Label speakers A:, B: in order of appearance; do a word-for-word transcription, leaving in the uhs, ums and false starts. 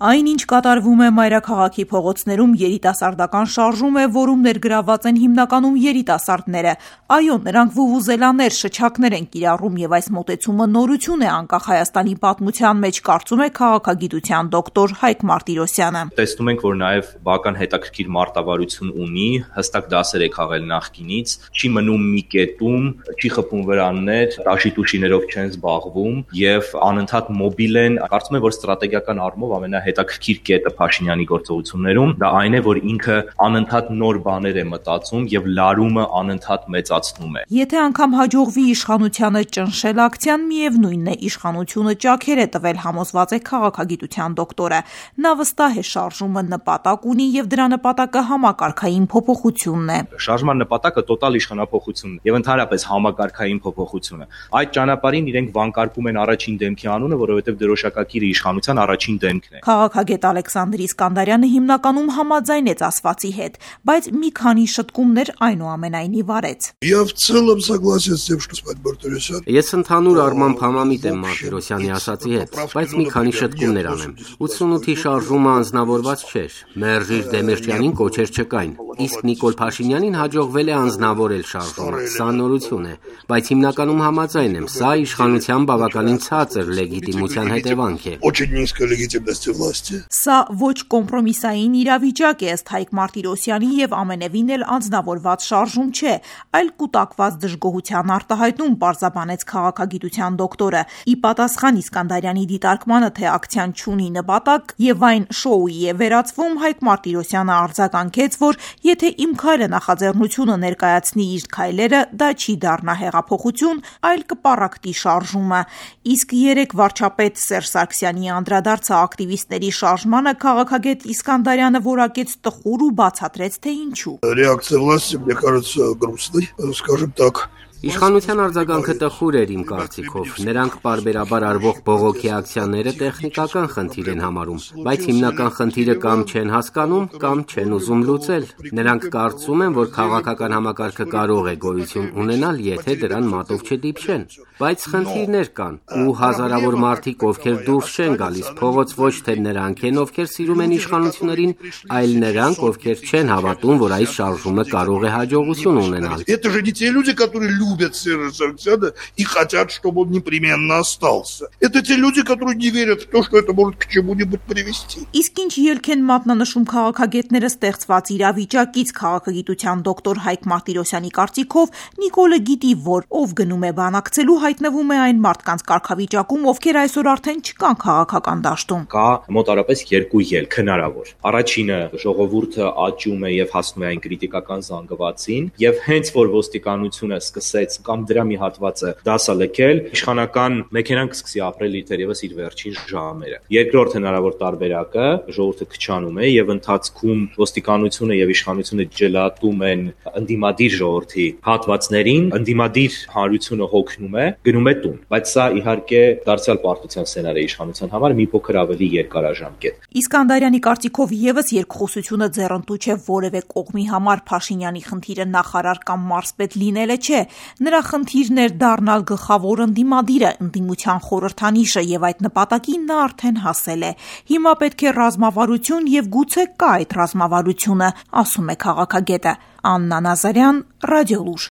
A: Այն, ինչ կատարվում է մայրաքաղաքի փողոցներում, երիտասարդական շարժում է, որում ներգրավված են հիմնականում երիտասարդները։ Այո, նրանք վուվուզելաներ, շչակներ են կիրառում, եւ այս մոտեցումը նորություն է անկախ Հայաստանի պատմության մեջ, կարծում է քաղաքագիտության դոկտոր Հայկ Մարտիրոսյանը։
B: Տեսնում ենք, որ նաև բավական հետաքրքիր մարտավարություն ունի, հստակ դասեր է քաղել նախկինից, չի մնում մի կետում, չի խփում վրաններ, տաշի-տուշիներով չեն զբաղվում եւ անընդհատ մոբիլ են։ Կարծում եմ, որ ստրատեգիական առումով ամենահետաքրքիր կետը Փաշինյանի գործողություններում դա այն է, որ ինքը անընդհատ նոր բաներ է մտածում եւ լարումը անընդհատ մեծացնում է։
A: Եթե անգամ հաջողվի իշխանությանը ճնշել ակցիան, միևնույնն է, իշխանությունը ճաքեր է տվել, համոզված է քաղաքագիտության դոկտորը։ Նա վստահ է, շարժումը նպատակ ունի եւ դրա նպատակը համակարգային փոփոխությունն է։
B: Շարժման նպատակը տոտալ իշխանափոխությունն է եւ ընդհանրապես համակարգային փոփոխությունը։ Այդ ճանապարհին իրենք վանկարկում են առաջին դեմքի անունը, որովհետեւ դրոշակակիրը իշխանության առաջին դեմքն է։
A: Քաղաքագետ Ալեքսանդր Իսկանդարյանը հիմնականում համաձայնեց ասվածի հետ, բայց մի քանի շտկումներ այնուամենայնիվ արեց։
C: Ես ընդհանուր առմամբ համամիտ եմ Մարտիրոսյանի ասածի հետ, բայց մի քանի շտկումներ անեմ։ ութսունութի շարժումը անձնավորված չէր։ Մերժիր Դեմիրճյանին կոչեր չկային, իսկ Նիկոլ Փաշինյանին հաջողվել է անձնավորել շարժումը։ Սա նորություն է, բայց հիմնականում համաձայն եմ, սա իշխանության բավականին ցածր լեգիտիմության հետևանք է։
A: Սա ոչ կոմպրոմիսային իրավիճակ է, ըստ Հայկ Մարտիրոսյանի, եւ ամենևին էլ անձնավորված շարժում չէ, այլ կուտակված դժգոհության արտահայտում, պարզաբանեց քաղաքագիտության դոկտորը։ Ի պատասխան Իսկանդարյանի դիտարկմանը, թե ակցիան չունի նպատակ եւ այն շոուի է վերածվում, Հայկ Մարտիրոսյանը արձագանքեց, որ եթե Իմ քայլը նախաձեռնությունը ներկայացնի իր քայլերը, դա չի դառնա հեղափոխություն, այլ կպառակտի շարժումը։ Իսկ երեք վարչապետ Սերժ Սարգսյանի անդրադարձը ակտիվիստների շարժմանը քաղաքագետ Իսկանդարյանը որակեց տխուր ու բացատրեց, թե ինչու։
C: Իշխանության արձագանքը տխուր էր իմ կարծիքով։ Նրանք պարբերաբար արվող բողոքի ակցիաները տեխնիկական խնդիր են համարում, բայց հիմնական խնդիրը կամ չեն հասկանում, կամ չեն ուզում լուծել։ Նրանք կարծում են, որ քաղաքական համակարգը կարող է գոյություն ունենալ, եթե դրան մատով չդիպչեն։ Բայց խնդիրներ կան, ու հազարավոր մարդիկ, ովքեր դուրս չեն գալիս փողոց, ոչ թե նրանք են, ովքեր սիրում են իշխանություններին, այլ նրանք, ովքեր չեն հավատում, որ այս շարժումը կարող է հաջողություն ունենալ։
D: Любят Сержа Саргсяна и хотят, чтобы он непременно остался. Это те люди, которые не верят в то, что это может к чему-нибудь привести.
A: Իսկ ինչ ելք են մատնանշում քաղաքագետները ստեղծված իրավիճակից, քաղաքագիտության դոկտոր Հայկ Մարտիրոսյանի կարծիքով, Նիկոլը գիտի, որ ով գնում է բանակցելու, հայտնվում է այն մարդկանց կարգավիճակում, ովքեր այսօր արդեն չկան քաղաքական դաշտում։
B: Կա մոտարապես երկու ելք հնարավոր։ Առաջինը ժողովուրդը աճում է եւ հասնում է այն կրիտիկական զանգվածին, եւ հենց որ ոստիկանությունը սկսեց կամ դրա մի հատվածը դասա լքել, իշխանական մեքենան կսկսի ապրել թերևս իր վերջին ժամերը։ Երկրորդ հնարավոր տարբերակը ժողովուրդը քչանում է եւ ընթացքում ոստիկանությունը եւ իշխանությունը ջլատում են ընդդիմադիր ժողովրդի հատվածներին, ընդդիմադիր հանրությունը հոգնում է, գնում է տուն։ Բայց սա իհարկե դարձյալ պարտության սցենար է իշխանության համար մի փոքր ավելի երկարաժամկետ։
A: Իսկանդարյանի կարծիքով եւս երկխոսությունը ձեռնտու չէ որևէ կողմի համար։ Փաշինյանի խնդիրը նախարար կամ մարզպետ լինելը չէ։ Նրա խնդիրն էր դառնալ գլխավոր ընդդիմադիրը, ընդդիմության խորհրդանիշը, եւ այդ նպատակին նա արդեն հասել է։ Հիմա պետք է ռազմավարություն եւ գուցե կա այդ ռազմավարությունը, ասում է քաղաքագետը։ Աննա Նազարյան, Ռադիոլուր։